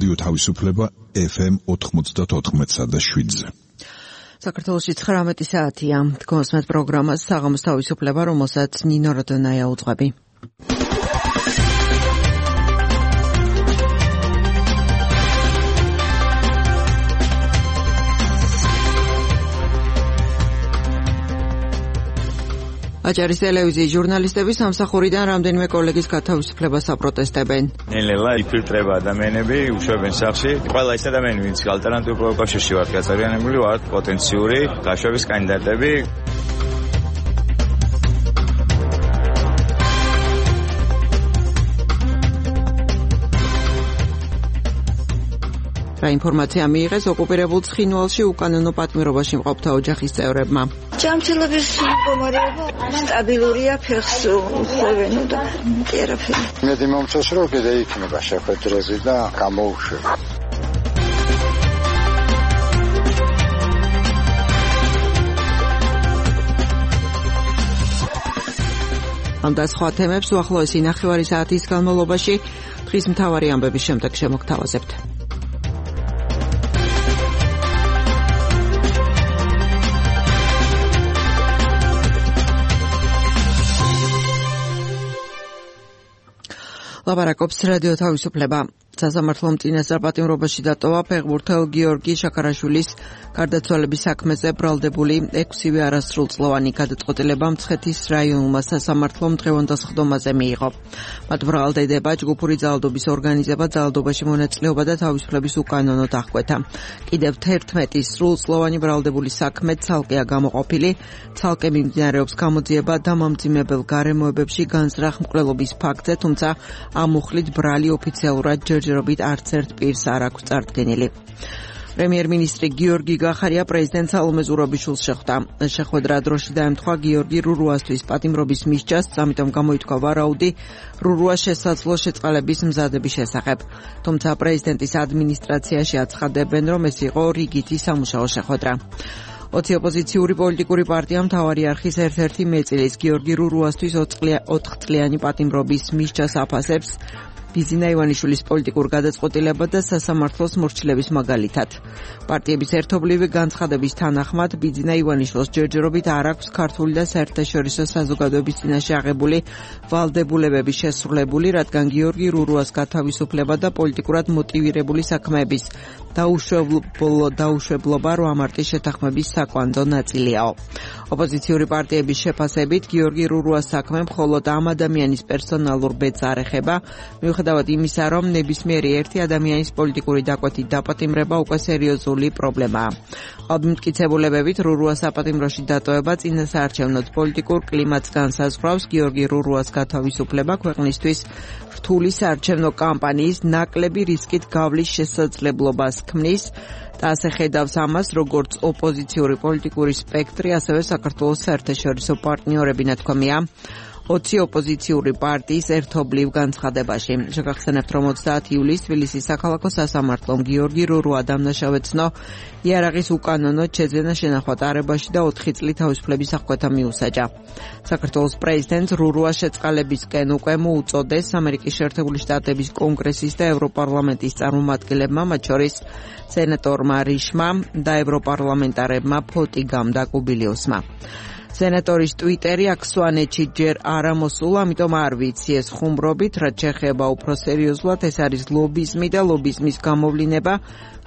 რადიო თავისუფლება FM 94.7-ზე. საქართველოში 19 საათია. გოსმეთ პროგრამას საღამოს თავისუფლება, რომელსაც ნინო როდონაია უძღვები. აჭარის ტელევიზიის ჟურნალისტები სამსახურიდან რამდენიმე კოლეგის გათავისუფლებას აპროტესტებენ. ნელ-ნელა იფილტრება ადამიანები, უშვებენ სახლში. ყველა ის ადამიანი, ვინც ალტერნატიულ კავშირში ვართ გაწევრიანებული, ვართ პოტენციური გაშვების კანდიდატები. რა ინფორმაცია მიიღეს ოკუპირებულ ცხინვალში უკანონო პატიმრობაში მყოფთა ოჯახის წევრებმა. ჯანმრთელობის მდგომარეობა სტაბილურია, ფეხს უხევენ და არაფერი. მე მომწონს რომ კიდე იქნება შეხვედრები და გამოუშვება. ამ და სხვა თემებს უახლოესი ნახევარი საათის განმავლობაში დღის მთავარი ამბების შემდეგ შემოგთავაზებთ. ლაპარაკობს რადიო თავისუფლება. სასამართლო მწინასწარ პატიმრობაში დატოვა ფეხბურთელ გიორგი შაქარაშვილის გარდაცვალების საქმეზე ბრალდებული 6-ვე არასრულწლოვანი გადაწყვეტილება მცხეთის რაიონულმა სასამართლომ დღევანდელ სხდომაზე მიიღო. მათ ბრალდება ჯგუფური ძალადობის ორგანიზება, ძალადობაში მონაწილეობა და თავისუფლების უკანონო დახკვეთა. კიდევ 11 სრულწლოვანი ბრალდებული საქმე ცალკეა გამოყოფილი, ცალკე მიმდინარეობს გამოძიება დამამძიმებელ გარემოებებში განზრახ მკვლელობის ფაქტზე, თუმცა ამ მუხლით ბრალი ოფიციალურად ჯერჯერობით არც ერთ პირს არ აქვს წარდგენილი. პრემიერ-მინისტრი გიორგი გახარია პრეზიდენტ სალომე ზურაბიშვილს შეხვდა. შეხვედრა დროში დაემთხვა გიორგი რურუასთვის პატიმრობის მისჯას, ამიტომ გამოითქვა ვარაუდი რურუას შესაძლო შეწყალების მზადების შესახებ. თუმცა პრეზიდენტის ადმინისტრაციაში აცხადებენ, რომ ეს იყო რიგითი სამუშაო შეხვედრა. 20 ოპოზიციური პოლიტიკური პარტია მთავარი არხის ერთ-ერთი მეწილის გიორგი რურუასთვის 4 წლიანი პატიმრობის მისჯას აფასებს ბიზინა ივანიშვილის პოლიტიკურ გადაწყვეტილება და სასამართლოს მორჩილების მაგალითად. პარტიების ერთობლივი განცხადების თანახმად ბიზინა ივანიშვილს ჯერჯერობით არ აქვს ქართული და საერთაშორისო საზოგადოების წინაშე აღებული ვალდებულებები შესრულებული, რადგან გიორგი რურუას გათავისუფლება და პოლიტიკურად მოტივირებული საქმეების დაუშვებლობა 8 მარტის შეთანხმების საკვანძო ნაწილიაო. ოპოზიციური პარტიების შეფასებით გიორგი რურუას საქმე მხოლოდ ამ ადამიანის პერსონალურ ბედს არ ეხება, მიუხედავად იმისა, რომ ნებისმიერი ერთი ადამიანის პოლიტიკური დაკვეთით დაპატიმრება უკვე სერიოზული პრობლემაა. მტკიცებულებებით რურუას საპატიმროში დატოვება წინასაარჩევნო პოლიტიკურ კლიმატს განსაზღვრავს. გიორგი რურუას გათავისუფლება ქვეყნისთვის რთული საარჩევნო კამპანიის ნაკლები რისკით გავლის შესაძლებლობას ქმნის და ასე ხედავს ამას როგორც ოპოზიციური პოლიტიკური სპექტრი, ასევე საქართველოს საერთაშორისო პარტნიორები, ნათქვამია 20 ოპოზიციური პარტიის ერთობლივ განცხადებაში. შეგახსენებთ, რომ 30 ივლისს თბილისის საქალაქო სასამართლომ გიორგი რურუა დამნაშავეცნო იარაღის უკანონო შეძენა შენახვა ტარებაში და 4 წლით თავისუფლების აღკვეთა მიუსაჯა. საქართველოს პრეზიდენტს რურუას შეწყალებისკენ უკვე მოუწოდეს ამერიკის შეერთებული შტატების კონგრესის და ევროპარლამენტის წარმომადგენლებმა, მათ შორის სენატორმა რიშმა და ევროპარლამენტარებმა ფოტიგამ და კუბილიუსმა. სენატორის ტვიტერი აქ სვანეთში ჯერ არ ამოსულა, ამიტომ არ ვიცი ეს ხუმრობით, რაც შეეხება უფრო სერიოზულად, ეს არის ლობიზმი და ლობიზმის გამოვლენა.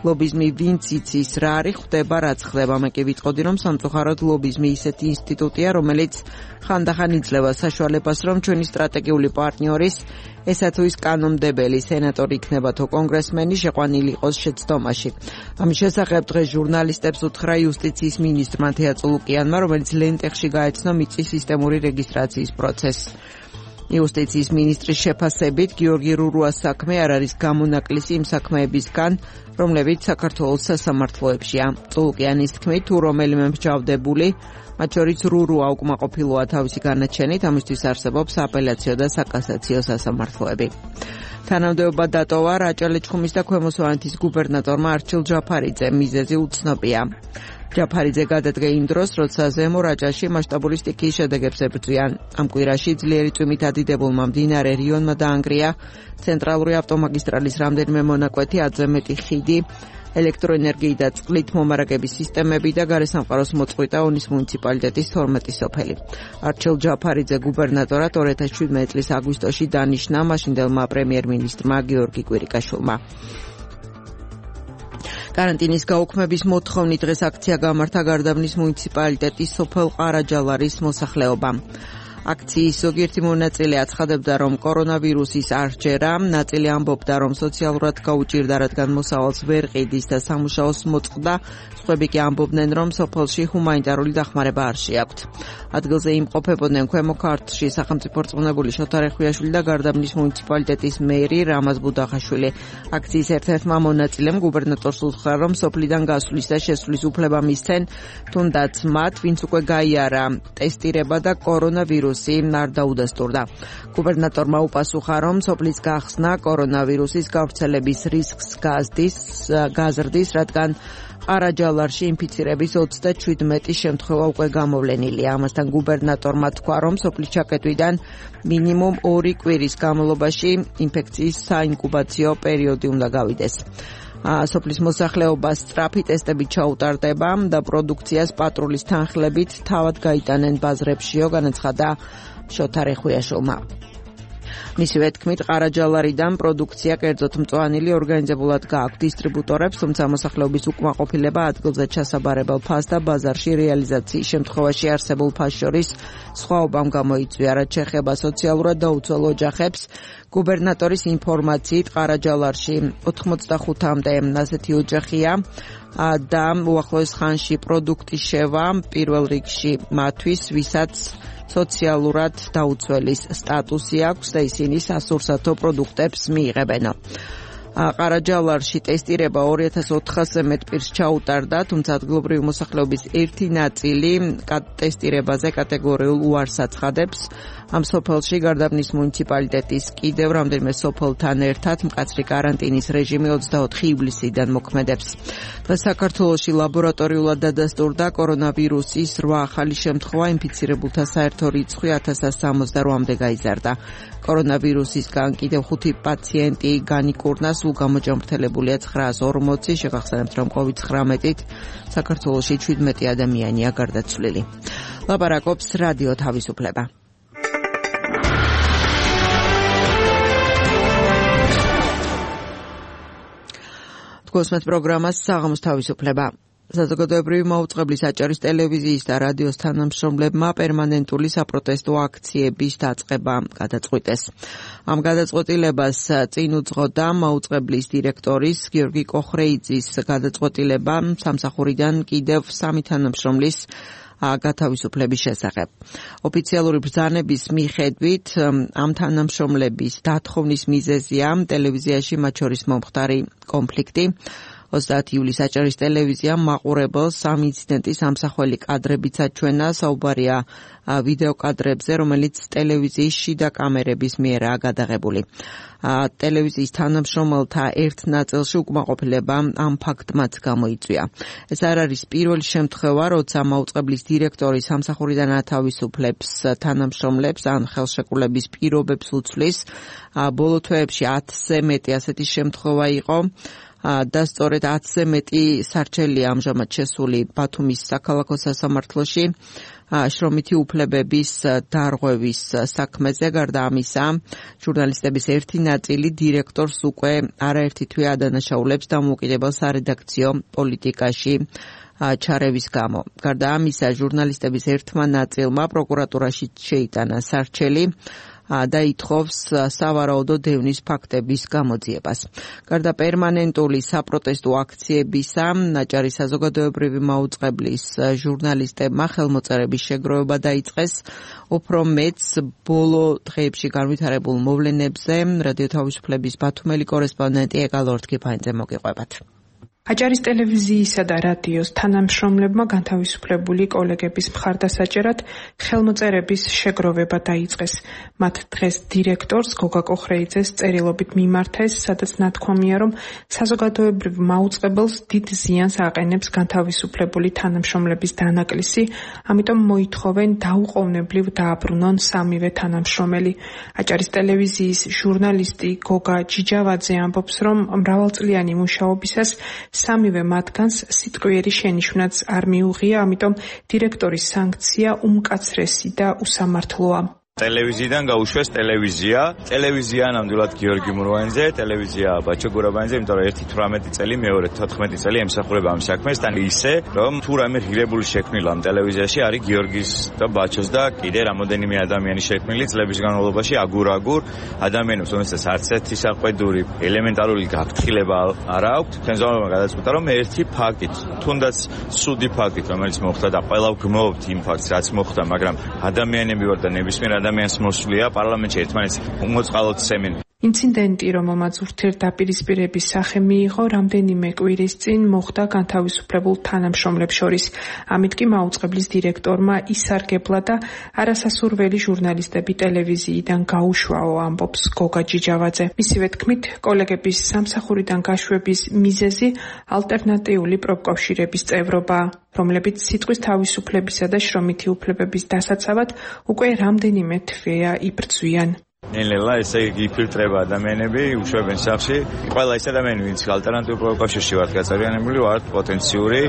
ლობიზმი ვინც იცის რა არის, ხდება რაც ხდება. მე კი ვიტყოდი, რომ სამწუხაროდ ლობიზმი ისეთი ინსტიტუტია, რომელიც ხანდახან იძლევა საშუალებას, რომ ჩვენი სტრატეგიული პარტნიორის, ესა თუ ის კანონმდებელი სენატორი იქნება თუ კონგრესმენი შეყვანილი იყოს შეცდომაში. ამის შესახებ დღეს ჟურნალისტებს უთხრა იუსტიციის მინისტრმა თეა წულუკიანმა, რომელიც ლენტეხში გაეცნო მიწის სისტემური რეგისტრაციის პროცესს. იუსტიციის მინისტრის შეფასებით გიორგი რურუას საქმე არ არის გამონაკლისი იმ საქმეებისგან, რომლებიც საქართველოს სასამართლოებშია. წულუკიანის თქმით, თუ რომელიმე მსჯავრდებული, მათ შორის რურუა უკმაყოფილოა თავისი განაჩენით, ამისთვის არსებობს აპელაციო და საკასაციო სასამართლოები. თანამდებობა დატოვა რაჭა-ლეჩხუმის და ქვემო სვანეთის გუბერნატორმა არჩილ ჯაფარიძემ, მიზეზი უცნობია. ჯაფარიძე გადადგა იმ დროს, როცა ზემო რაჭაში მასშტაბური სტიქიის შედეგებს ებრძვიან. ამ კვირაში ძლიერი წვიმით ადიდებულმა მდინარე რიონმა დაანგრია ცენტრალური ავტომაგისტრალის რამდენიმე მონაკვეთი, 10-ზე მეტი ხიდი, ელექტროენერგიით და წყლით მომარაგების სისტემები და გარესამყაროს მოწყვიტა ონის მუნიციპალიტეტის 12 სოფელი. არჩილ ჯაფარიძე გუბერნატორად 2017 წლის აგვისტოში დანიშნა მაშინდელმა პრემიერ-მინისტრმა გიორგი კვირიკაშვილმა. карантиნის გაუქმების მოთხოვნით დღეს აქცია გამართა გარდაბნის მუნიციპალიტეტის სოფელ ყარაჯალარის მოსახლეობამ. აქციის ზოგიერთი მონაწილე აცხადებდა, რომ კორონავირუსის არჩერა, ნაწილი ამბობდა, რომ სოციალურად გაუჭირდა, რადგან მოსავალს ვერ ყიდის და სამუშაოს მოწყდა, სხვები კი ამბობდნენ, რომ სოფელში ჰუმანიტარული დახმარება არ შეაქვთ. ადგილზე იმყოფებოდნენ ქვემო ქართლში სახელმწიფო რწმუნებული შოთა რეხვიაშვილი და გარდაბნის მუნიციპალიტეტის მერი რამაზ ბუდახაშვილი. აქციის ერთ-ერთმა მონაწილემ გუბერნატორს უთხრა, რომ სოფლიდან გასვლის და შესვლის უფლება მისცენ, თუნდაც მათ, ვინც უკვე გაიარა ტესტირება და კორონავირუსი არ დაუდასტურდა. გუბერნატორმა უპასუხა, რომ სოფლის გახსნა კორონავირუსის გავრცელების რისკს გაზრდის, რადგან ყარაჯალარში ინფიცირების 37 შემთხვევა უკვე გამოვლენილია. ამასთან გუბერნატორმა თქვა, რომ სოფლის ჩაკეტვიდან მინიმუმ 2 კვირის განმავლობაში ინფექციის საინკუბაციო პერიოდი უნდა გავიდეს. სოფლის მოსახლეობას სწრაფი ტესტები ჩაუტარდება და პროდუქციას პატრულის თანხლებით თავად გაიტანენ ბაზრებშიო, განაცხადა შოთა რეხვიაშვილმა. მისივე თქმით, ყარაჯალარიდან პროდუქცია კერძოდ მწვანილი ორგანიზებულად გააქვთ დისტრიბუტორებს, თუმცა მოსახლეობის უკმაყოფილება ადგილზე ჩასაბარებელ ფასს და ბაზარში რეალიზაციის შემთხვევაში არსებულ ფასს შორის სხვაობამ გამოიწვია, რაც შეეხება სოციალურად დაუცველ ოჯახებს. გუბერნატორის ინფორმაციით ყარაჯალარში 85-მდე ასეთი ოჯახია და უახლოეს ხანში პროდუქტის შევა პირველ რიგში მათთვის, ვისაც სოციალურად დაუცველის სტატუსი აქვს და ისინი სასურსათო პროდუქტებს მიიღებენ. ყარაჯალარში ტესტირება 2400-ზე მეტ პირს ჩაუტარდა, თუმცა ადგილობრივი მოსახლეობის ერთი ნაწილი ტესტირებაზე კატეგორიულ უარს აცხადებს. ამ სოფელში გარდაბნის მუნიციპალიტეტის კიდევ რამდენიმე სოფელთან ერთად მკაცრი კარანტინის რეჟიმი 24 ივლისიდან მოქმედებს. დღეს საქართველოში ლაბორატორიულად დადასტურდა კორონავირუსის 8 ახალი შემთხვევა, ინფიცირებულთა საერთო რიცხვი 1068-მდე გაიზარდა. კორონავირუსისგან კიდევ 5 პაციენტი განიკურნა, სულ გამოჯამრთელებულია 940. შეგახსენებთ, რომ COVID-19-ით საქართველოში 17 ადამიანია გარდაცვლილი. ლაპარაკობს რადიო თავისუფლება. გოსმეთ პროგრამას საღამოს თავისუფლება. საზოგადოებრივი მაუწყებლის აჭარის ტელევიზიის და რადიოს თანამშრომლებმა პერმანენტული საპროტესტო აქციების დაწყება გადაწყვიტეს. ამ გადაწყვეტილებას წინ უძღოდა მაუწყებლის დირექტორის გიორგი კოხრეიძის გადაწყვეტილება სამსახურიდან კიდევ 3 თანამშრომლის გათავისუფლების შესახებ. ოფიციალური ბრძანების მიხედვით ამ თანამშრომლების დათხოვნის მიზეზია ტელევიზიაში მათ შორის მომხდარი კონფლიქტი. 30 ივლისს აჭარის ტელევიზიამ მაყურებელს ამ ინციდენტის ამსახველი კადრებიც აჩვენა, საუბარია ვიდეო კადრებზე, რომელიც ტელევიზიის შიდა კამერების მიერაა გადაღებული. ტელევიზიის თანამშრომელთა ერთ ნაწილში უკმაყოფილება ამ ფაქტმაც გამოიწვია. ეს არ არის პირველი შემთხვევა, როცა მაუწყებლის დირექტორი სამსახურიდან ათავისუფლებს თანამშრომლებს ან ხელშეკრულების პირობებს უცვლის. ბოლო თვეებში 10-ზე მეტი ასეთი შემთხვევა იყო. და სწორედ 10-ზე მეტი სარჩელია ამჟამად შესული ბათუმის საქალაქო სასამართლოში შრომითი უფლებების დარღვევის საქმეზე. გარდა ამისა, ჟურნალისტების ერთი ნაწილი დირექტორს უკვე არაერთი თვე ადანაშაულებს დამოუკიდებელ სარედაქციო პოლიტიკაში ჩარევის გამო. გარდა ამისა, ჟურნალისტების ერთმა ნაწილმა პროკურატურაში შეიტანა სარჩელი და ითხოვს სავარაუდო დევნის ფაქტების გამოძიებას. გარდა პერმანენტული საპროტესტო აქციებისა, აჭარის საზოგადოებრივი მაუწყებლის ჟურნალისტებმა ხელმოწერების შეგროვება დაიწყეს. უფრო მეც ბოლო დღეებში განვითარებულ მოვლენებზე რადიო თავისუფლების ბათუმელი კორესპონდენტი ეკალ ორთქიფანიძე მოგიყვებათ. აჭარის ტელევიზიისა და რადიოს თანამშრომლებმა განთავისუფლებული კოლეგების მხარდასაჭერად ხელმოწერების შეგროვება დაიწყეს. მათ დღეს დირექტორს გოგა კოხრეიძეს წერილობით მიმართეს, სადაც ნათქვამია, რომ საზოგადოებრივ მაუწყებელს დიდ ზიანს აყენებს განთავისუფლებული თანამშრომლების დანაკლისი, ამიტომ მოითხოვენ დაუყოვნებლივ დააბრუნონ სამივე თანამშრომელი. აჭარის ტელევიზიის ჟურნალისტი გოგა ჯიჯავაძე ამბობს, რომ მრავალწლიანი მუშაობისას სამივე მათგანს სიტყვიერი შენიშვნაც არ მიუღია, ამიტომ დირექტორის სანქცია უმკაცრესი და უსამართლოა. ტელევიზიიდან გაუშვეს ტელევიზია ნამდვილად გიორგი მურვანიძე, ტელევიზია ბაჩო გურაბანიძე, იმიტომ რომ 18 წელი, მეორე 14 წელი ემსახურება ამ საქმეს, თან ისე რომ თუ რამე ღირებული შექმნილა ამ ტელევიზიაში არის გიორგის და ბაჩოს და კიდე რამოდენიმე ადამიანი შექმნილი წლების განმავლობაში აგურ ადამიანებს, რომელსაც არც ერთი საყვედური ელემენტარული გაფრთხილება არ აქვს. ხელმძღვანელობა გადაწყვიტა, რომ ერთი ფაქტით, თუნდაც სუდი ფაქტით, რომელიც მოხდა და ყველა გმობთ იმ ფაქტს, რაც მოხდა, მაგრამ ადამიანები ვარ და ნებისმიერ ადამიანს მოსვლია პარლამენტში ერთმანეთს უმოწყალოდ სემენ. ინციდენტი, რომელმაც ურთიერთდაპირისპირების სახე მიიღო, რამდენიმე კვირის წინ მოხდა განთავისუფლებულ თანამშრომლებს შორის. ამით კი მაუწყებლის დირექტორმა ისარგებლა და არასასურველი ჟურნალისტები ტელევიზიიდან გაუშვაო, ამბობს გოგა ჯიჯავაძე. მისივე თქმით, კოლეგების სამსახურიდან გაშვების მიზეზი ალტერნატიული პროფკავშირების წევრობაა, რომლებიც სიტყვის თავისუფლებისა და შრომითი უფლებების დასაცავად უკვე რამდენიმე თვეა იბრძვიან. ნელ-ნელა ესე იფილტრება ადამიანები, უშვებენ სახში. ყველა ის ადამიანი, ვინც ალტერნატიულ პროფკავშირში ვართ გაწევრიანებული, ვართ პოტენციური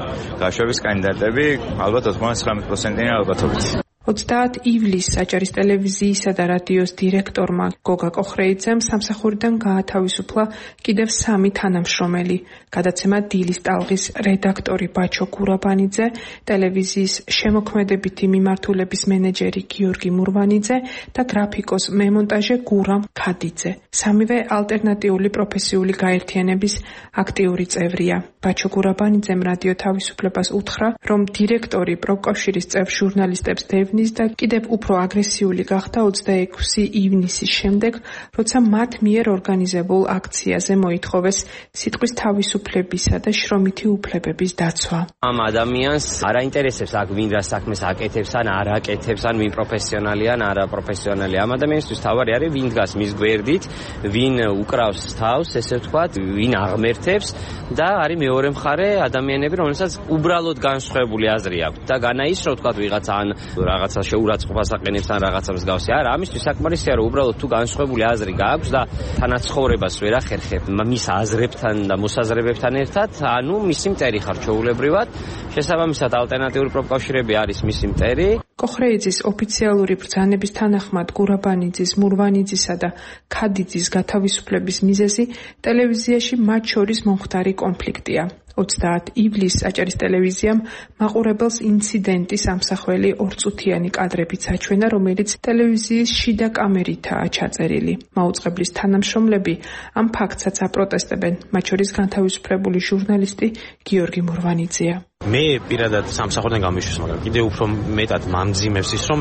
გაშვების კანდიდატები, ალბათ 99%-იანი ალბათობით. 30 ივლისს აჭარის ტელევიზიისა და რადიოს დირექტორმა გოგა კოხრეიძემ სამსახურიდან გაათავისუფლა კიდევ 3 თანამშრომელი. გადაცემა დილის ტალღის რედაქტორი ბაჩო გურაბანიძე, ტელევიზიის შემოქმედებითი მიმართულების მენეჯერი გიორგი მურვანიძე და გრაფიკოს მემონტაჟე გურამ ქადიძე. სამივე ალტერნატიული პროფესიული გაერთიანების აქტიური წევრია. ბაჩო გურაბანიძემ რადიო თავისუფლებას უთხრა, რომ დირექტორი პროფკავშირის წევრ ჟურნალისტებს და კიდევ უფრო აგრესიული გახდა 26 ივნისის შემდეგ, როცა მათ მიერ ორგანიზებულ აქციაზე მოითხოვეს სიტყვის თავისუფლებისა და შრომითი უფლებების დაცვა. ამ ადამიანს არ აინტერესებს აქ ვინ რა საქმეს აკეთებს ან არ აკეთებს, ან ვინ პროფესიონალია ან არა პროფესიონალი. ამ ადამიანისთვის თავარი არის ვინ დგას მის გვერდით, ვინ უკრავს თავს, ესე ვთქვათ, ვინ აღმერთებს და არის მეორე მხარე ადამიანები, რომელსაც უბრალოდ განსხვავებული აზრი აქვს და განაის რო ვთქვათ ვიღაცა ან რაღაცა შეურაცხყოფას აყენებს ან რაღაცა მსგავსი. არა, ამისთვის საკმარისია რომ უბრალოდ თუ განსხვავებული აზრი გააქვს და თანაცხოვრებას ვერ ახერხებ მის აზრებთან და მოსაზრებებთან ერთად, ანუ მისი მტერი ხარ ჩვეულებრივად. შესაბამისად ალტერნატიული პროფკავშირები არის მისი მტერი. კოხრეიძის ოფიციალური ბრძანების თანახმად გურაბანიძის, მურვანიძისა და ქადიძის გათავისუფლების მიზეზი ტელევიზიაში მათ შორის მომხდარი კონფლიქტია. 30 ივლისს აჭარის ტელევიზიამ მაყურებელს ინციდენტის ამსახველი ორწუთიანი კადრებიც აჩვენა, რომელიც ტელევიზიის შიდა კამერითაა ჩაწერილი. მაუწყებლის თანამშრომლები ამ ფაქტსაც აპროტესტებენ, მათ შორის განთავისუფლებული ჟურნალისტი გიორგი მურვანიძეა. მე პირადად სამსახურიდან გამიშვის, მაგრამ კიდევ უფრო მეტად მამძიმებს ის, რომ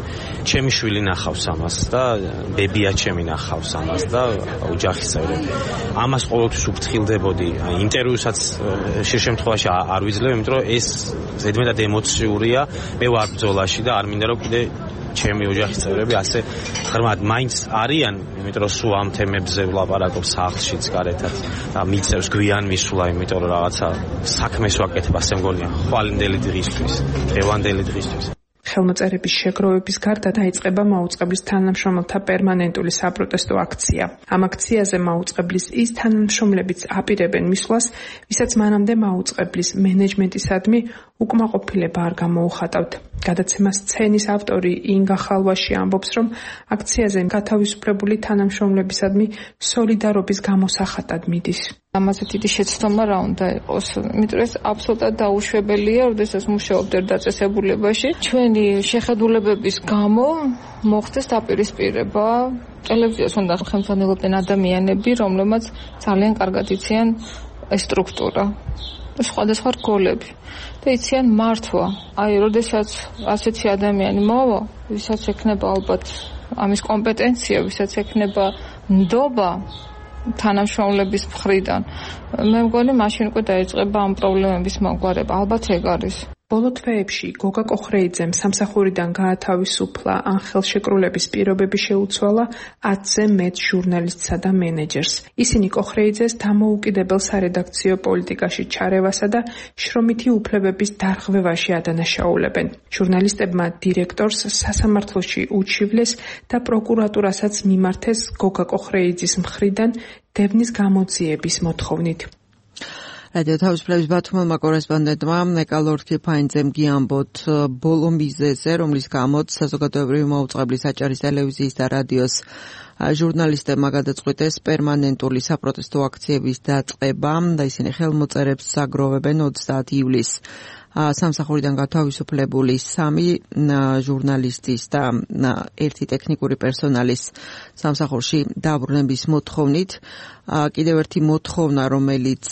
ჩემი შვილი ნახავს ამას და ბებია ჩემი ნახავს ამას და ოჯახის წევრები. ამას ყოველთვის უფრთხილდებოდი. ინტერვიუსაც შე შემთხვევაში არ ვიძლევ, იმიტომ რომ ეს ზედმეტად ემოციურია. მე ვარ ბრძოლაში და არ მინდა რომ კიდე ჩემი ოჯახის წევრები ასე ღრმად მაინც არიან, იმიტომ რომ სულ ამ თემებზე ვლაპარაკობ სახლშიც გარეთაც და მიწევს გვიან მისულა, იმიტომ რომ რაღაცა საქმეს ვაკეთებ, ასე მგონია, ხვალინდელი დღისთვის, დღევანდელი დღისთვის. ხელმოწერების შეგროვების გარდა დაიწყება მაუწყებლის თანამშრომელთა პერმანენტული საპროტესტო აქცია. ამ აქციაზე მაუწყებლის ის თანამშრომლებიც აპირებენ მისვლას, ვისაც მანამდე მაუწყებლის მენეჯმენტისადმი უკმაყოფილება არ გამოუხატავთ. გადაცემას სცენის ავტორი ინგა ხალვაში ამბობს, რომ აქციაზე გათავისუფლებული თანამშრომლებისადმი სოლიდარობის გამოსახატად მიდის. ამაზე დიდი შეცდომა რა უნდა იყოს, იმიტომ რომ ეს აბსოლუტურად დაუშვებელია, როდესაც მუშაობდერ დაწესებულებაში. ჩვენი შეხედულებების გამო მოხდეს დაპირისპირება. ტელევიზიას უნდა ხელმძღვანელობდნენ ადამიანები, რომლებმაც ძალიან კარგად იციან ეს სტრუქტურა, სხვადასხვა რგოლები და იციან მართვა. აი, როდესაც ასეთი ადამიანი მოვა, ვისაც ექნება ალბათ ამის კომპეტენცია, ვისაც ექნება ნდობა, თანამშრომლების მხრიდან. მე მგონი მაშინ უკვე დაიწყება ამ პრობლემების მოგვარება. ალბათ ეგ არის. ბოლო თვეებში გოგა კოხრეიძემ სამსახურიდან გაათავისუფლა, ან ხელშეკრულების პირობები შეუცვალა 10-ზე მეტ ჟურნალისტსა და მენეჯერს. ისინი კოხრეიძეს დამოუკიდებელ სარედაქციო პოლიტიკაში ჩარევასა და შრომითი უფლებების დარღვევაში ადანაშაულებენ. ჟურნალისტებმა დირექტორს სასამართლოში უჩივლეს და პროკურატურასაც მიმართეს გოგა კოხრეიძის მხრიდან დევნის გამოძიების მოთხოვნით. რადიო თავისუფლების ბათუმელმა კორესპონდენტმა ეკალორქი ფაინძემ გიამბოთ ბოლო მიზეზზე, რომლის გამოც საზოგადოებრივი მოუწყებლის აჭარის ტელევიზიის და რადიოს ჟურნალისტებმა გადაწყვიტეს პერმანენტული საპროტესტო აქციების დაწყება და ისინი ხელმოწერებს აგროვებენ 30 ივლისს. სამსახურიდან გათავისუფლებული 3 ჟურნალისტის და 1 ტექნიკური პერსონალის სამსახურში დაბრუნების მოთხოვნით. კიდევ ერთი მოთხოვნა, რომელიც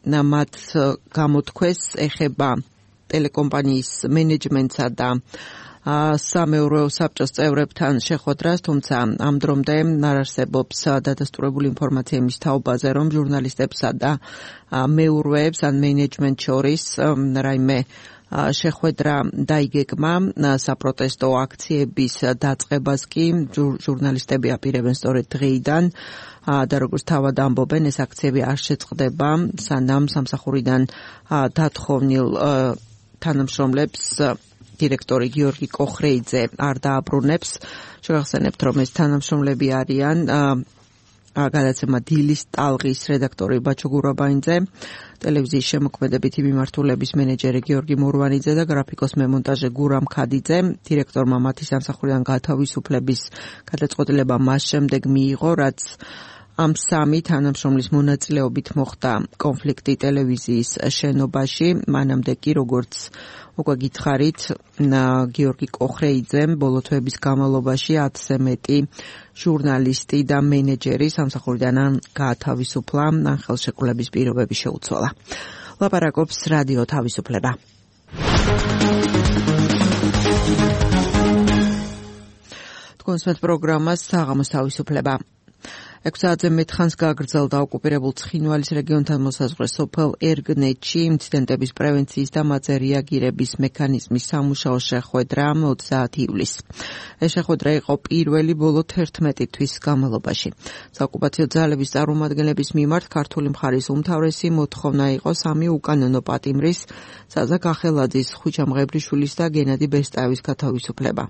მათ გამოთქვეს, ეხება ტელეკომპანიის მენეჯმენტსა და სამეურვეო საბჭოს წევრებთან შეხვედრას, თუმცა ამ დრომდე არ არსებობს დადასტურებული ინფორმაცია იმის თაობაზე, რომ ჟურნალისტებსა და მეურვეებს ან მენეჯმენტ შორის რაიმე შეხვედრა დაიგეგმა. საპროტესტო აქციების დაწყებას კი ჟურნალისტები აპირებენ სწორედ დღეიდან და როგორც თავად ამბობენ, ეს აქციები არ შეწყდება, სანამ სამსახურიდან დათხოვნილ თანამშრომლებს დირექტორი გიორგი კოხრეიძე არ დააბრუნებს. შევახსენებთ, რომ ეს თანამშრომლები არიან გადაცემა დილის ტალღის რედაქტორი ბაჩო გურაბაინძე, ტელევიზიის შემოქმედებითი მიმართულების მენეჯერი გიორგი მურვანიძე და გრაფიკოს მემონტაჟე გურამ ქადიძე. დირექტორმა მათი სამსახურიდან გათავისუფლების გადაწყვეტილება მას შემდეგ მიიღო, რაც ამ 3 თანამშრომლის მონაწილეობით მოხდა კონფლიქტი ტელევიზიის შენობაში. მანამდე კი, როგორც უკვე გითხარით, გიორგი კოხრეიძემ ბოლო თვეების განმავლობაში 10-ზე მეტი ჟურნალისტი და მენეჯერი სამსახურიდან ან გაათავისუფლა, ან ხელშეკრულების პირობები შეუცვალა. ლაპარაკობს რადიო თავისუფლება. თქვენს პროგრამას საღამოს თავისუფლება. 6 საათზე მეტ ხანს გაგრძელდა ოკუპირებულ ცხინვალის რეგიონთან მოსაზღვრე სოფელ ერგნეთში ინციდენტების პრევენციის და მათზე რეაგირების მექანიზმის სამუშაო შეხვედრა 30 ივლისს. ეს შეხვედრა იყო პირველი ბოლო 11 თვის განმავლობაში. საოკუპაციო ძალების წარმომადგენლების მიმართ ქართული მხარის უმთავრესი მოთხოვნა იყო 3 უკანონო პატიმრის, საზა გახელაძის, ხვიჩა მღებრიშვილის და გენადი ბესტაევის გათავისუფლება.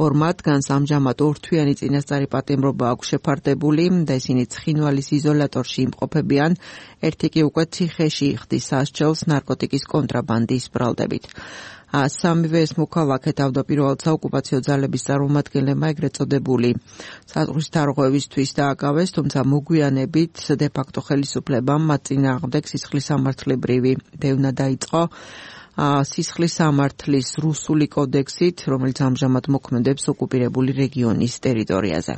ორ მათგანს ამჟამად 2 თვიანი წინასწარი პატიმრობა აქვს შეფარდებული და ისინი ცხინვალის იზოლატორში იმყოფებიან, ერთი კი უკვე ციხეში იხდის სასჯელს ნარკოტიკის კონტრაბანდის ბრალდებით. სამივე ეს მოქალაქე თავდაპირველად საოკუპაციო ძალების წარმომადგენლებმა ეგრეთ წოდებული საზღვრის დარღვევისთვის დააკავეს, თუმცა მოგვიანებით დე-ფაქტო ხელისუფლებამ მათ წინააღმდეგ სისხლის სამართლებრივი დევნა დაიწყო. სისხლის სამართლის რუსული კოდექსით, რომელიც ამჟამად მოქმედებს ოკუპირებული რეგიონის ტერიტორიაზე.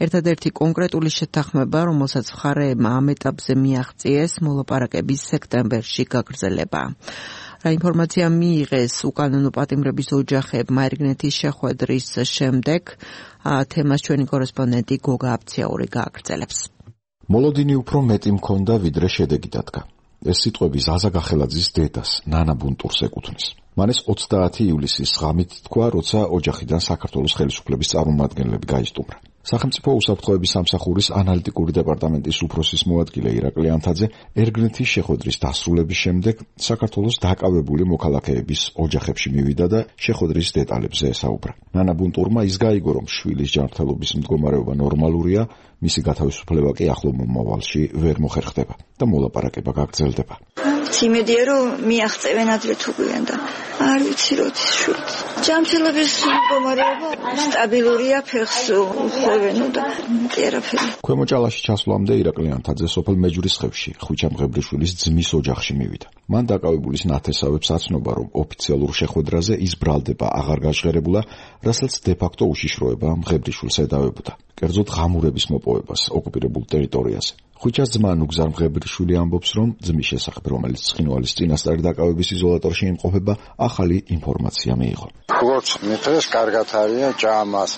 ერთადერთი კონკრეტული შეთანხმება, რომელსაც მხარეებმა ამ ეტაპზე მიაღწიეს, მოლაპარაკების სექტემბერში გაგრძელება. რა ინფორმაცია მიიღეს უკანონო პატიმრების ოჯახებმა ერგნეთის შეხვედრის შემდეგ, თემას ჩვენი კორესპონდენტი გოგა აფციაური გააგრძელებს. მოლოდინი უფრო მეტი მქონდა, ვიდრე შედეგი დადგა. ეს სიტყვები ზაზა გახელაძის დედას, ნანა ბუნტურს ეკუთვნის. მან ეს 30 ივლისის ღამით თქვა, როცა ოჯახიდან საქართველოს ხელისუფლების წარმომადგენლები გაისტუმრა. სახელმწიფო უსაფრთხოების სამსახურის ანალიტიკური დეპარტამენტის უფროსის მოადგილე ირაკლი ანთაძე ერგნეთის შეხვედრის დასრულების შემდეგ საქართველოს დაკავებული მოქალაქეების ოჯახებში მივიდა და შეხვედრის დეტალებზე ესაუბრა. ნანა ბუნტურმა ის გაიგო, რომ შვილის ჯანმრთელობის მდგომარეობა ნორმალურია, მისი გათავისუფლება კი ახლო მომავალში ვერ მოხერხდება და მოლაპარაკება გაგრძელდება. იმედია რომ მიაღწევენ ადრე თუ გვიან და არ ვიცი როდის შვილი. ჯანმრთელობის მდგომარეობა სტაბილურია, ფეხს უხვევენო და არაფერი. ქვემო ჭალაში ჩასვლამდე ირაკლი ანთაძე სოფელ მეჯვრისხევში ხვიჩა მღებრიშვილის ძმის ოჯახში მივიდა. მან დაკავებულის ნათესავებს აცნობა, რომ ოფიციალურ შეხვედრაზე ის ბრალდება აღარ გაჟღერებულა, რასაც დე-ფაქტო უშიშროება მღებრიშვილს ედავებოდა. კერძოდ ღამურების მოპოვებას ოკუპირებულ ტერიტორიაზე. ხვიჩას ძმა ნუგზარ მღებრიშვილი ამბობს, რომ ძმის შესახებ, რომელიც ცხინვალის წინასწარი დაკავების იზოლატორში იმყოფება, ახალი ინფორმაცია მიიღო. როგორც მითხრეს, კარგად არიან, ჭამას,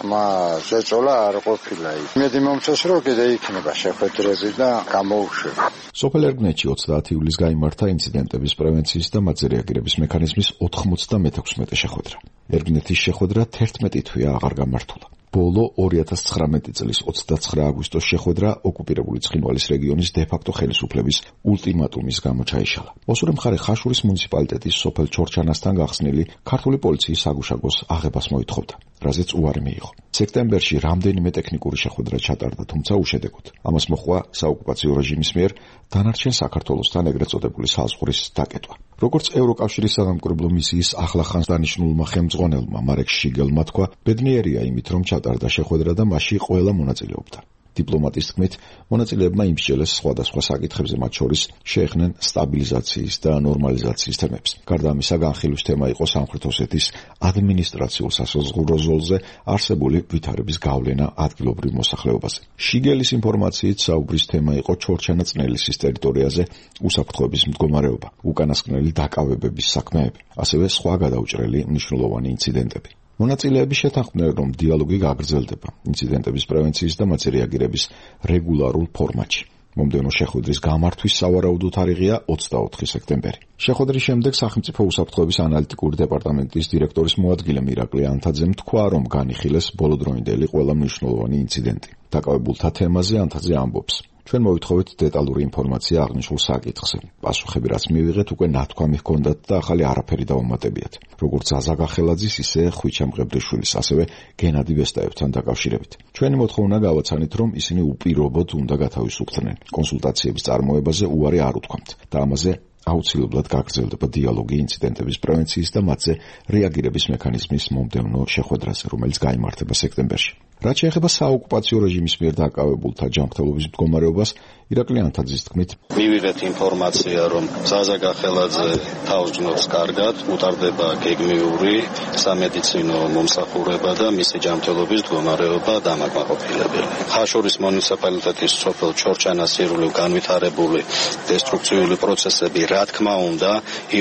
ზეწოლა არ ყოფილა იქ. იმედი მომწონს, რომ კიდე იქნება შეხვედრები და გამოუშვება. სოფელ ერგნეთში 30 ივლისს გაიმართა ინციდენტების პრევენციის და მათზე რეაგირების მექანიზმის 96 შეხვედრა. ერგნეთის შეხვედრა 11 თვეა აღარ გამართულა. ბოლო 2019 წლის 29 აგვისტოს შეხვედრა ოკუპირებული ცხინვალის რეგიონის დე-ფაქტო ხელისუფლების ულტიმატუმის გამო ჩაიშალა. ოსური მხარე ხაშურის მუნიციპალიტეტის სოფელ ჩორჩანასთან გახსნილი ქართული პოლიციის საგუშაგოს აღებას მოითხოვდა, რაზეც უარი მიიღო. სექტემბერში რამდენიმე ტექნიკური შეხვედრა ჩატარდა, თუმცა უშედეგოდ. ამას მოჰყვა საოკუპაციო რეჟიმის მიერ დანარჩენ საქართველოსთან ეგრეთ წოდებული საზღვრის დაკეტვა. როგორც ევროკავშირის საგამკვირვებლო მისიის ახლახანს დანიშნულმა ხელმძღვანელმა მარეკ შიგელმა თქვა, ბედნიერია იმით, რომ ჩატარდა შეხვედრა და მასში ყველა მონაწილეობდა. დიპლომატის თქმით, მონაწილეებმა იმსჯელეს სხვადასხვა საკითხებზე, მათ შორის შეეხნენ სტაბილიზაციის და ნორმალიზაციის თემებს. გარდა ამისა, განხილვის თემა იყო სამხრეთ ოსეთის ადმინისტრაციულ სასაზღვრო ზოლზე არსებული ვითარების გავლენა ადგილობრივ მოსახლეობაზე. შიგელის ინფორმაციით საუბრის თემა იყო ჩორჩანა-წნელისის ტერიტორიაზე უსაფრთხოების მდგომარეობა, უკანასკნელი დაკავებების საქმეები, ასევე სხვა გადაუჭრელი მნიშვნელოვანი ინციდენტები. მონაწილეები შეთანხმდნენ, რომ დიალოგი გაგრძელდება ინციდენტების პრევენციის და მათზე რეაგირების რეგულარულ ფორმატში. მომდევნო შეხვედრის გამართვის სავარაუდო თარიღია 24 სექტემბერი. შეხვედრის შემდეგ სახელმწიფო უსაფრთხოების ანალიტიკური დეპარტამენტის დირექტორის მოადგილე მირაკლი ანთაძემ თქვა, რომ განიხილეს ბოლოდროინდელი ყველა მნიშვნელოვანი ინციდენტი. დაკავებულთა თემაზე ანთაძე ამბობს: ჩვენ მოვითხოვეთ დეტალური ინფორმაცია აღნიშნულ საკითხზე. პასუხები, რაც მივიღეთ, უკვე ნათქვამი ჰქონდათ და ახალი არაფერი დავუმატებიათ. როგორც ზაზა გახელაძის, ისე ხვიჩა მღებრიშვილის, ასევე გენადი ვესტაევთან დაკავშირებით. ჩვენი მოთხოვნა გავაცანით, რომ ისინი უპირობოდ უნდა გათავისუფლდნენ. კონსულტაციების წარმოებაზე უარი არ უთქვამთ და ამაზე აუცილებლად გაგრძელდება დიალოგი ინციდენტების პრევენციის და მათზე რეაგირების მექანიზმის მომდევნო შეხვედრაზე, რომელიც გაიმართება სექტემბერში. რაც შეეხება საოკუპაციო რეჟიმის მიერ დაკავებულთა ჯანმრთელობის მდგომარეობას, ირაკლი ანთაძის თქმით, მივიღეთ ინფორმაცია, რომ ზაზა გახელაძე თავს ჯნობს კარგად, უტარდება გეგმიური სამედიცინო მომსახურება და მისი ჯანმრთელობის მდგომარეობა დამაკმაყოფილებელი. ხაშურის მუნიციპალიტეტის სოფელ ჩორჩანას ირგვლივ განვითარებული დესტრუქციული პროცესები, რა თქმა უნდა,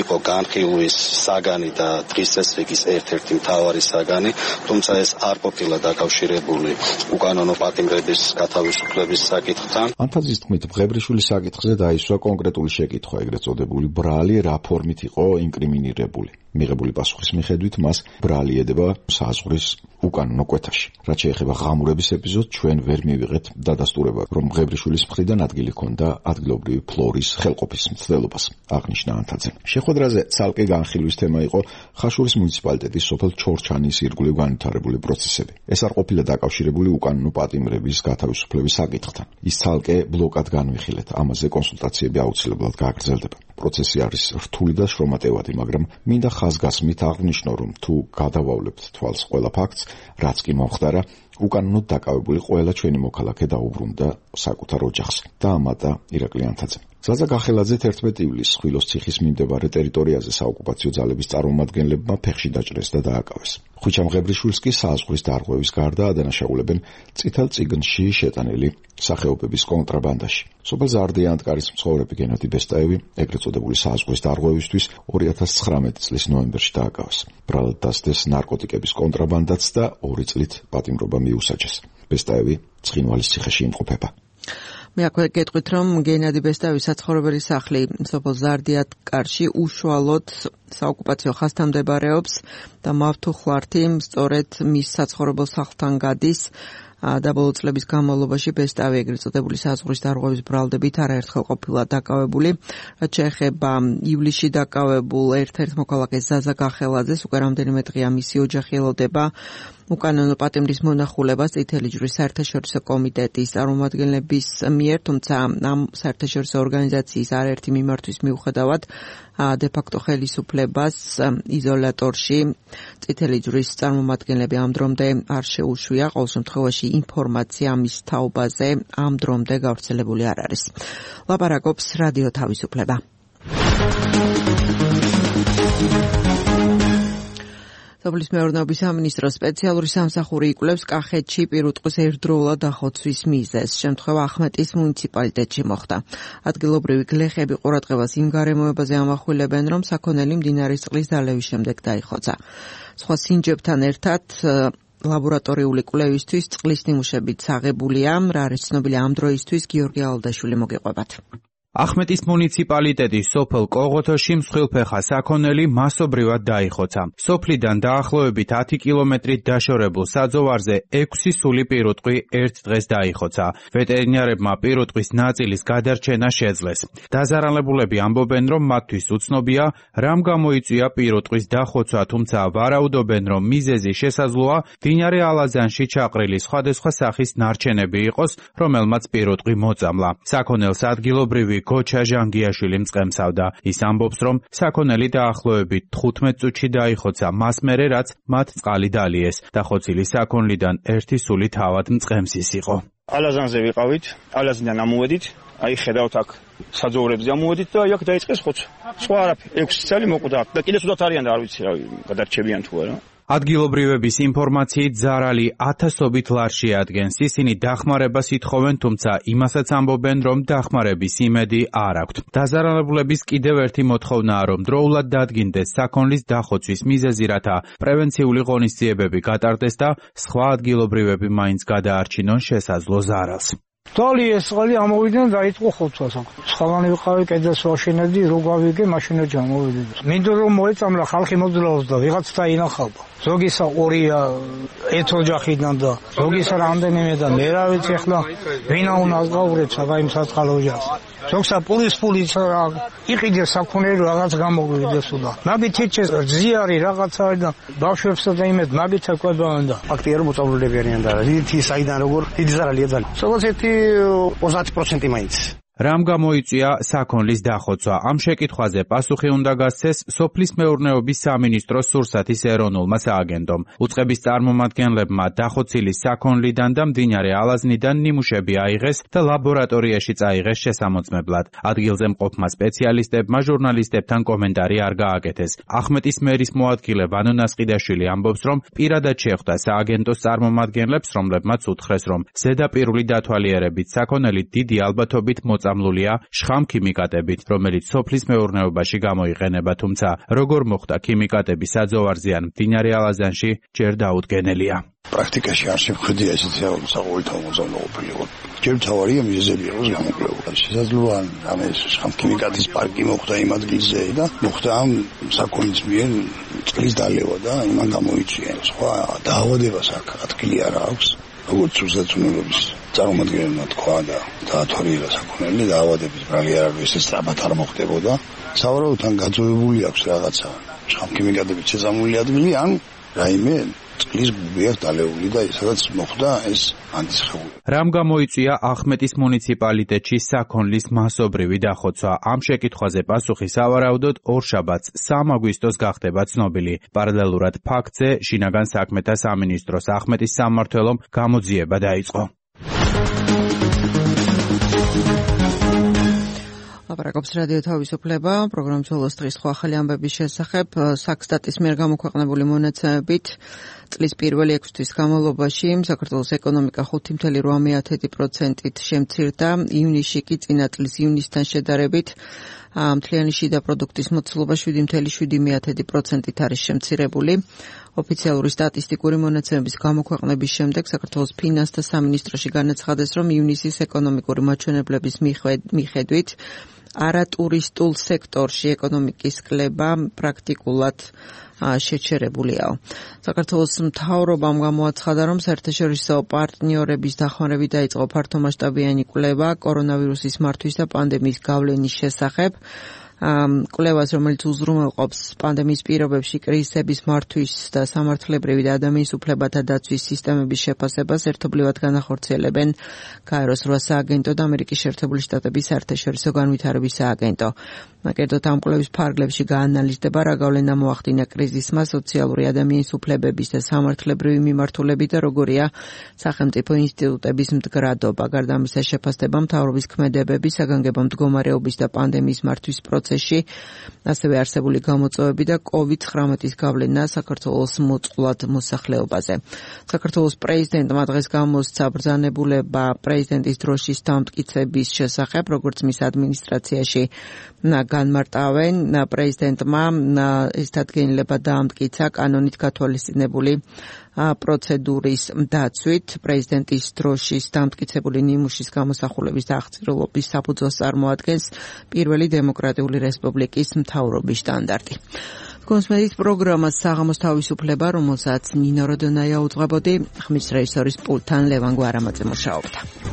იყო განხილვის საგანი და დღის წესრიგის ერთ-ერთი მთავარი საგანი, თუმცა ეს არ ყოფილა დაკავშირებული უკანონო პატიმრების გათავისუფლების საკითხთან. ანთაძის თქმით, მღებრიშვილის საკითხზე დაისვა კონკრეტული შეკითხვა, ეგრეთ წოდებული ბრალი რა ფორმით იყო ინკრიმინირებული. მიღებული პასუხის მიხედვით მას ბრალი ედება საზღვრის უკანონო კვეთაში. რაც შეეხება ღამურების ეპიზოდს, ჩვენ ვერ მივიღეთ დადასტურება, რომ მღებრიშვილის მხრიდან ადგილი ჰქონდა ადგილობრივი ფლორის ხელყოფის მცდელობას, აღნიშნა ანთაძემ. შეხვედრაზე ცალკე განხილვის თემა იყო ხაშურის მუნიციპალიტეტის სოფელ ჩორჩანის ირგვლივ განვითარებული პროცესები. ეს არ ყოფილა დაკავშირებული უკანონო პატიმრების გათავისუფლების საკითხთან. ის ცალკე ბლოკად განვიხილეთ, ამაზე კონსულტაციები აუცილებლად გაგრძელდება. პროცესი არის რთული და შრომატევადი, მაგრამ მინდა ხაზგასმით აღნიშნო, რომ თუ გადავავლებთ თვალს ყველა ფაქტს, რაც კი მომხდარა, უკანონოდ დაკავებული ყველა ჩვენი მოქალაქე დაუბრუნდა საკუთარ ოჯახს. დაამატა ირაკლი ანთაძე. ზაზა გახელაძე 11 ივლისს ხვილოს ციხის მიმდებარე ტერიტორიაზე საოკუპაციო ძალების წარმომადგენლებმა ფეხში დაჭრეს და დააკავეს. ხვიჩა მღებრიშვილს კი საზღვრის დარღვევის გარდა ადანაშაულებენ წითელ წიგნში შეტანილი სახეობების კონტრაბანდაში. სოფელ ზარდიანტკარის მცხოვრები გენადი ვესტაევი ეგრეთ წოდებული საზღვრის დარღვევისთვის 2019 წლის ნოემბერში დააკავეს. ბრალად დასდეს ნარკოტიკების კონტრაბანდაც და 2 წლით პატიმრობა მიუსაჯეს. ვესტაევი ცხინვალის ციხეში იმყოფება. მე აქვე გეტყვით, რომ გენადი ვესტაევის საცხოვრებელი სახლი სოფელ ზარდიანტკარში უშუალოდ საოკუპაციო ხაზთან მდებარეობს და მავთუხლართი სწორედ მის საცხოვრებელ სახლთან გადის. და ბოლო წლების განმავლობაში ვესტაევი ეგრეთ წოდებული საზღვრის დარღვევის ბრალდებით არაერთხელ ყოფილა დაკავებული. რაც შეეხება ივლისში დაკავებულ ერთ-ერთ მოქალაქეს ზაზა გახელაძეს, უკვე რამდენიმე დღეა მისი ოჯახი ელოდება უკანონო პატიმრის მონახულებას წითელი ჯვრის საერთაშორისო კომიტეტის წარმომადგენლების მიერ, თუმცა ამ საერთაშორისო ორგანიზაციის არაერთი მიმართვის მიუხედავად დე-ფაქტო ხელისუფლებას იზოლატორში წითელი ჯვრის წარმომადგენლები ამ დრომდე არ შეუშვია. ყოველ შემთხვევაში ინფორმაცია ამის თაობაზე ამ დრომდე გავრცელებული არ არის. ლაპარაკობს რადიო თავისუფლება. სოფლის მეურნეობის სამინისტროს სპეციალური სამსახური იკვლევს კახეთში პირუტყვის ერთდროულად დახოცვის მიზეზს. შემთხვევა ახმეტის მუნიციპალიტეტში მოხდა. ადგილობრივი გლეხები ყურადღებას იმ გარემოებაზე ამახვილებენ, რომ საქონელი მდინარის წყლის დალევის შემდეგ დაიხოცა. სხვა სინჯებთან ერთად ლაბორატორიული კვლევისთვის წყლის ნიმუშებით აღებულია. რა არის ცნობილი ამ დროისთვის, გიორგი ალდაშვილი მოგეყვებათ. ახმეტის მუნიციპალიტეტის სოფელ კოღოთოში მსხვილფეხა საქონელი მასობრივად დაიხოცა. სოფლიდან დაახლოებით 10 კილომეტრით დაშორებულ საძოვარზე 6 სული პირუტყვი ერთ დღეს დაიხოცა. ვეტერინარებმა პირუტყვის ნაწილის გადარჩენა შეძლეს. დაზარალებულები ამბობენ, რომ მათთვის უცნობია, რამ გამოიწვია პირუტყვის დახოცვა, თუმცა ვარაუდობენ, რომ მიზეზი შესაძლოა მდინარე ალაზანში ჩაყრილი სხვადასხვა სახის ნარჩენები იყოს, რომელმაც პირუტყვი მოწამლა. საქონელს ადგილობრივი გოჩა ჟანგიაშვილი მწყემსავდა. ის ამბობს, რომ საქონელი დაახლოებით 15 წუთში დაიხოცა, მას მერე რაც მათ წყალი დალიეს. დახოცილი საქონლიდან ერთი სული თავად მწყემსის იყო. ალაზანზე ვიყავით, ალაზნიდან ამოვედით, აი ხედავთ აქ საძოვრებზე ამოვედით და აქ დაიწყეს ხოცვა. სხვა არაფერი, 6 წელი მოკვდა და კიდე სულაც არიან და არ ვიცი რა გადარჩებიან თუ არა. ადგილობრივების ინფორმაციით ზარალი ათასობით ლარში ადგენს. ისინი დახმარებას ითხოვენ, თუმცა იმასაც ამბობენ, რომ დახმარების იმედი არ აქვთ. დაზარალებულების კიდევ ერთი მოთხოვნაა, რომ დროულად დადგინდეს საქონლის დახოცვის მიზეზი, რათა პრევენციული ღონისძიებები გატარდეს და სხვა ადგილობრივები მაინც გადაარჩინონ შესაძლო ზარალს. დალიეს წყალი ამოვიდნენ და დაიწყო ხოცვა. სხვანი ვიყავი კედელს ვაშენებდი, რო გავიგე მაშინა ჩამოვედი. მინდო რომ მოეწამლა ხალხი მოძრაობს და ვიღაც დაინახავდა. ზოგისა 2-ია ერთ ოჯახიდან და ზოგისა რამდენიმე და მე რა ვიცი ახლა ვინა უნდა გავურეთ საგაიმ საწყალ ოჯახს. ზოგსა პულის იყიდე საქონელი რაღაც გამოგვიდეს და მაგით ეჩეს ზიარი რაღაცა და ბავშვებსა და იმედ მაგით აკლებავენ და ფაქტია რომ მოწამლულები არიან და დიდი საიდან როგორ დიდი ზარალია ძალიან. სულ ერთი 30% მაინც. რამ გამოიწვია საქონლის დახოცვა? ამ შეკითხვაზე პასუხი უნდა გასცეს სოფლის მეურნეობის სამინისტროს სურსათის ეროვნულმა სააგენტომ. უწყების წარმომადგენლებმა დახოცილი საქონლიდან და მდინარე ალაზნიდან ნიმუშები აიღეს და ლაბორატორიაში წაიღეს შესამოწმებლად. ადგილზე მყოფმა სპეციალისტებმა ჟურნალისტებთან კომენტარი არ გააკეთეს. ახმეტის მერის მოადგილე ვანო ნასყიდაშვილი ამბობს, რომ პირადად შეხვდა სააგენტოს წარმომადგენლებს, რომლებმაც უთხრეს, რომ ზედაპირული დათვალიერებით საქონელი დიდი ალბათობით მოწამლულია შხამ ქიმიკატებით, რომელიც სოფლის მეურნეობაში გამოიყენება, თუმცა როგორ მოხდა ქიმიკატები საძოვარზე ან მდინარე ალაზანში ჯერ დაუდგენელია. პრაქტიკაში არ შემხედია ესეთი საყოველთაო მოწამლყოფილიყო. ჯერ თავარია მიზეზები იყოს გამოკვლევა. შესაძლოა ამ შხამ ქიმიკატის პარკი მოხდა იმ ადგილზე და მოხდა ამ საქონლის მიერ წყლის დალევა და იმან გამოიწვია. სხვა დაავადებას აქ ადგილი არ აქვს. როგორც სურსათმფლობის წარმომადგენელმა თქვა და დაათვალიერა საქონელი დაავადების ბრალი არ არის, ეს სწრაფად არ მოხდებოდა. სავარაუდოდ ან გაძოვებული აქვს რაღაცა შხამქიმიკატებით შეწამული ადგილი, ან რაიმე წყლის ბუბი აქვს დალეული და სადაც მოხდა ეს ანტისხეული. რამ გამოიწვია ახმეტის მუნიციპალიტეტში საქონლის მასობრივი დახოცვა? ამ შეკითხვაზე პასუხი სავარაუდოდ ორშაბათს 3 აგვისტოს გახდება ცნობილი. პარალელურად ფაქტზე შინაგან საქმეთა სამინისტროს ახმეტის სამმართველომ გამოძიება დაიწყო. ლაპარაკობს რადიო თავისუფლება, პროგრამის ბოლოს დღის სხვა ახალი ამბების შესახებ. საქსტატის მიერ გამოქვეყნებული მონაცემებით წლის პირველი 6 თვის განმავლობაში საქართველოს ეკონომიკა 5.8%-ით შემცირდა, ივნისში კი წინა წლის ივნისთან შედარებით მთლიანი შიდა პროდუქტის მოცულობა 7.7%-ით არის შემცირებული. ოფიციალური სტატისტიკური მონაცემების გამოქვეყნების შემდეგ საქართველოს ფინანსთა სამინისტროში განაცხადეს, რომ ივნისის ეკონომიკური მაჩვენებლების მიხედვით არატურისტულ სექტორში ეკონომიკის კლება პრაქტიკულად შეჩერებულიაო. საქართველოს მთავრობამ გამოაცხადა, რომ საერთაშორისო პარტნიორების დახმარებით დაიწყო ფართომასშტაბიანი კვლევა კორონავირუსის მართვის და პანდემიის გავლენის შესახებ. კვლევას, რომელიც უზრუნველყოფს პანდემიის პირობებში კრიზისების მართვის და სამართლებრივი და ადამიანის უფლებათა დაცვის სისტემების შეფასებას ერთობლივად განახორციელებენ გაეროს 8 სააგენტო და ამერიკის შეერთებული შტატების საერთაშორისო განვითარების სააგენტო. კერძოდ ამ კვლევის ფარგლებში გაანალიზდება რა გავლენა მოახდინა კრიზისმა სოციალური ადამიანის უფლებების და სამართლებრივი მიმართულებით და როგორია სახელმწიფო ინსტიტუტების მდგრადობა. გარდა ამისა შეფასდება მთავრობის ქმედებების, საგანგებო მდგომარეობის და პანდემიის მართვის პროცესში, ასევე არსებული გამოწვევები და COVID-19-ის გავლენა საქართველოს მოწყვლად მოსახლეობაზე. საქართველოს პრეზიდენტმა დღეს გამოსცა ბრძანებულება პრეზიდენტის დროშის დამტკიცების შესახებ, როგორც მის ადმინისტრაციაში განმარტავენ. პრეზიდენტმა ეს დადგენილება დაამტკიცა კანონით გათვალისწინებული პროცედურის დაცვით. პრეზიდენტის დროშის დამტკიცებული ნიმუშის გამოსახულების აღწირულობის საფუძველს წარმოადგენს პირველი დემოკრატიული რესპუბლიკის მთავრობის სტანდარტი. კონსმედით პროგრამას საღამოს თავისუფლება, რომელსაც ნინო როდონაია უძღვებოდი, ხმის რეჟისორის პულტთან ლევან გვარამაძე მუშაობდა.